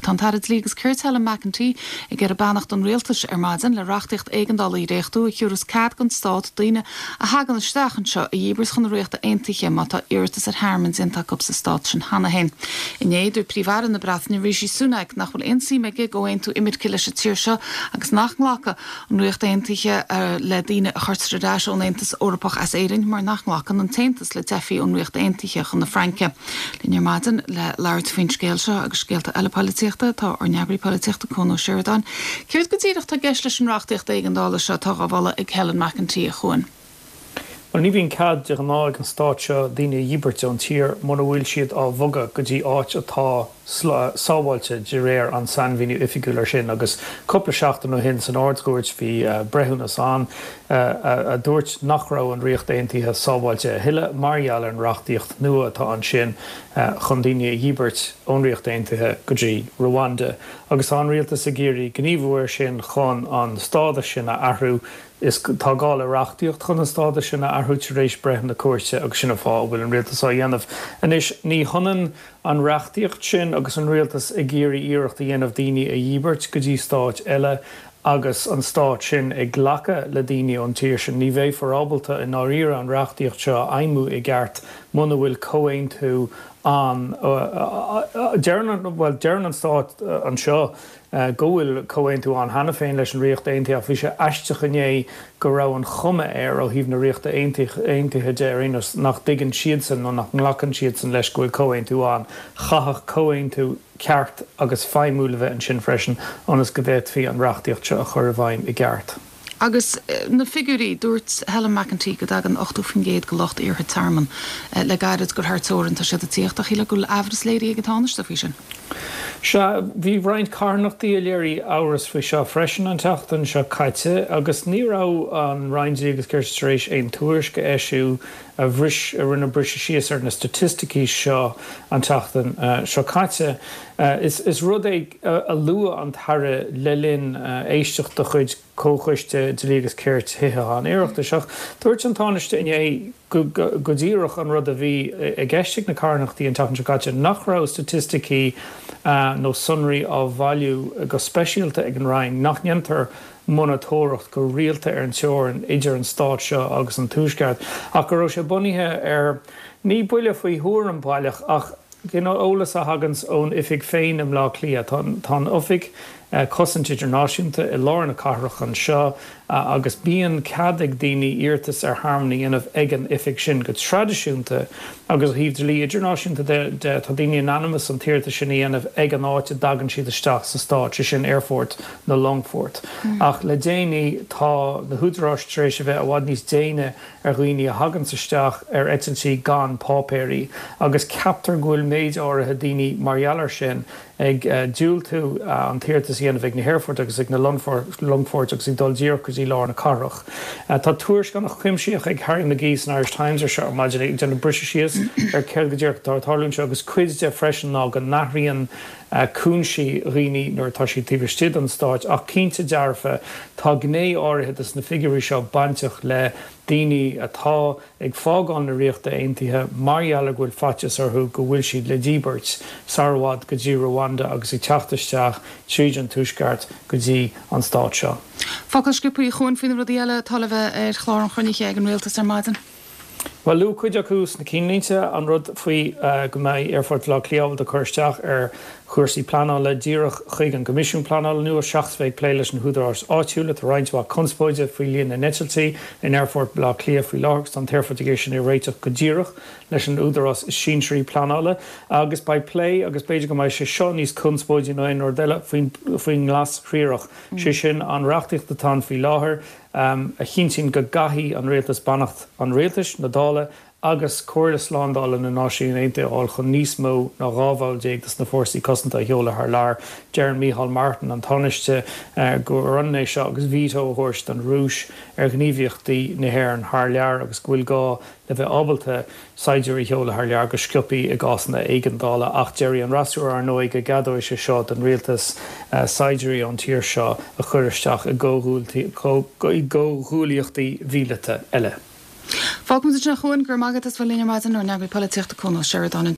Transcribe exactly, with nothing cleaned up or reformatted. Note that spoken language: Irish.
Tá an tAire Dlí agus Cirt Helen McEntee ag iarraidh beannacht an rialtais ar maidin le reachtaíocht éigeandála a dhréachtú a thabharfas cead don stát daoine a thagann isteach anseo a dhíbirt chun na Ríochta Aontaithe má tá iarratas ar thearmann déanta acu sa stát sin cheana féin. Inné dúirt Príomh-Aire na Breataine Rishi Sunak nach bhfuil aon suim aige i gcomhaontú imirce leis an tír seo agus nach nglacfaidh an Ríocht Aontaithe uh, le daoine a chuirtear ar ais ón Aontas Eorpach as Éirinn mar nach nglacann an tAontas le teifigh ón Ríocht Aontaithe chun na Fraince. Linn ar maidin le labhairt faoin scéal seo agus scéalta eile polaitíochta tá ár n-eagraí polaitíochta Cuan Ó Seireadáin. Céard go díreach atá i gceist leis an reachtaíocht éigeandála seo atá á mholadh ag Helen McEntee a Chuain. Well ní bhíonn cead de ghnáth ag an stát seo daoine a dhíbirt ón tír mura bhfuil siad á bhogadh go dtí áit atá sábháilte de réir an sainmhíniú oifigiúil ar sin agus cúpla seachtain ó shin san Ard-Chúirt bhí breithiúnas ann a dúirt nach raibh an Ríocht Aontaithe sábháilte a thuilleadh mar gheall ar an reachtaíocht nua atá ansin chun daoine a dhíbirt ón Ríocht Aontaithe go dtí Rwanda. agus tá an rialtas ag iarraidh gníomhú air sin chun an stádas sin a athrú is tá gá le reachtaíocht chun an stádas sin a athrú tar éis breith na cúirte agus sin an fáth a bhfuil an rialtas á dhéanamh. Anois ní hionann an reachtaíocht sin agus an rialtas ag iarraidh iarracht a dhéanamh daoine a dhíbirt go dtí stáit eile agus an stát sin ag glacadh le daoine ón tír sin ní bheifear ábalta i ndáiríre an reachtaíocht seo a fheidhmiú i gceart muna bhfuil comhaontú an deireann well deireann an stát anseo go bhfuil comhaontú ann cheana féin leis an Ríocht Aontaithe bhí sé aisteach inné go raibh an chuma air ó thaobh na Ríochta Aontaithe de ar aon nós nach dtuigeann siadsan nó nach nglacann siadsan leis go bhfuil comhaontú ann chaithfeadh comhaontú ceart agus feidhmiúil a bheith ansin freisin ionas go bhféadfaí an reachtaíocht seo a chur i bhfeidhm i gceart. Agus na figiúirí dúirt Helen McEntee go dtagann ochtó faoin gcéad de lucht iarrtha tearmainn le gairid gur thar teorainn atá siad ag tíocht a chéile go bhfuil amhras léirithe ag an Tánaiste faoi sin. Sea bhí roinnt carthanachtaí a léirigh amhras faoi seo freisin an tseachtain seo caite agus ní raibh an Roinn Dlí agus Cirt tar éis aon tuairisc a eisiú a bhris a rinne briseadh síos ar na staitisticí seo an tseachtain seo caite. Is, is rud é a luaigh an tAire le linn éisteacht de chuid Comhchoiste Dlí agus Cirt Thithe an Oireachtais. Ach dúirt an Tánaiste inné go, go, go díreach an rud a bhí i gceist ag na carthanachtaí an tseachtain seo caite nach raibh staitisticí uh, nó sonraí á bhailiú go speisialta ag an Roinn nach ndéantar monatóireacht go rialta ar an teorainn idir an stát seo agus an tuaisceart ach go raibh sé bunaithe ar ní buille faoi thuairim baileach ach you know, eolas a thagann ón oifig féin i mBleá Cliath tá an oifig cosaint idirnáisiúnta i lár na cathrach anseo agus bíonn cead ag daoine iarratas ar thearmann a dhéanamh ag an oifig sin go traidisiúnta agus ó thaobh dlí idirnáisiúnta de, de tá daoine in ainm is an t-iarratas sin a dhéanamh ag an áit a dtagann siad isteach sa stát sé sin aerfort nó longfort. Mm. Ach le déanaí tá na húdaráis tar éis a bheith i bhfad níos déine ar dhaoine a thagann isteach ar eitiltí gan páipéirí agus ceaptar go bhfuil méid áirithe daoine mar gheall air sin ag uh, diúltú uh, an t-iarratas a dhéanamh ag na haerfoirt agus ag na longfoirt agus ag dul díreach go dtí lár na cathrach. Uh, tá tuairisc an-chuimsitheach ag Harry McGee san Irish Times ar seo maidin ag déanamh briseadh síos ar céard go díreach atá ag tarlú anseo agus cuid de freisin ná go n-athraíonn uh, cúinsí dhaoine nuair atá siad taobh istigh den stát ach cinnte dearfa tá gné áirithe de na figiúirí seo bainteach le daoine atá ag fágáil na Ríochta Aontaithe mar gheall go bhfuil faitíos orthu go bhfuil siad le díbirt sara i bhfad go dtí Rwanda agus ag teacht isteach tríd an tuaisceart go dtí an stát seo. Focal sciobtha a Chuain faoi na rudaí eile atá le bheith ar chlár an chruinnithe ag an rialtas ar maidin. Well luadh cuid acu sna cinnlínte an rud faoi uh, go mbeidh Aerfort Bhaile Átha Cliath ábalta cur isteach ar chúrsaí pleanála díreach chuig an gCoimisiún Pleanála nua seachas bheith ag plé leis na húdaráis áitiúla tá roinnt mhaith conspóide faoi líon na n-eitiltí in Aerfort Bhaile Átha Cliath faoi láthair an t-aerfort ag sin é réiteach go díreach leis an údarás is sinsearaí pleanála agus beidh plé agus b'fhéidir go mbeidh sé seo níos conspóidí ná aon rud eile faoin faoin nGlas-Thriarach. Mm. sé sin an reachtaíocht atá ann faoi láthair um, a chinntíonn go gcaithfidh an rialtas beannacht an rialtais na Dála agus Comhairle Slándála na Náisiún Aontaithe a fháil chun níos mó ná dhá bhall déag de na fórsaí cosanta a sheoladh thar lear. Deireann Micheál Martin an Tánaiste uh, gur ionann é seo agus veto a thabhairt don Rúis ar ghníomhaíochtaí na hÉireann thar lear agus go bhfuil gá le bheith ábalta saighdiúirí a sheoladh thar lear go sciobtha i gcásanna éigeandála ach deir an fhreasúra ar ndóigh go gceadóidh sé seo don rialtas uh, saighdiúirí ón tír seo a chur isteach i gcomhghuaillíochtaí míleata eile. Fágfaimid ansin a Chuain gur magat as bhfuil líne maidin ár n-eagraí polaitíochta Cuan Ó Seireadáin.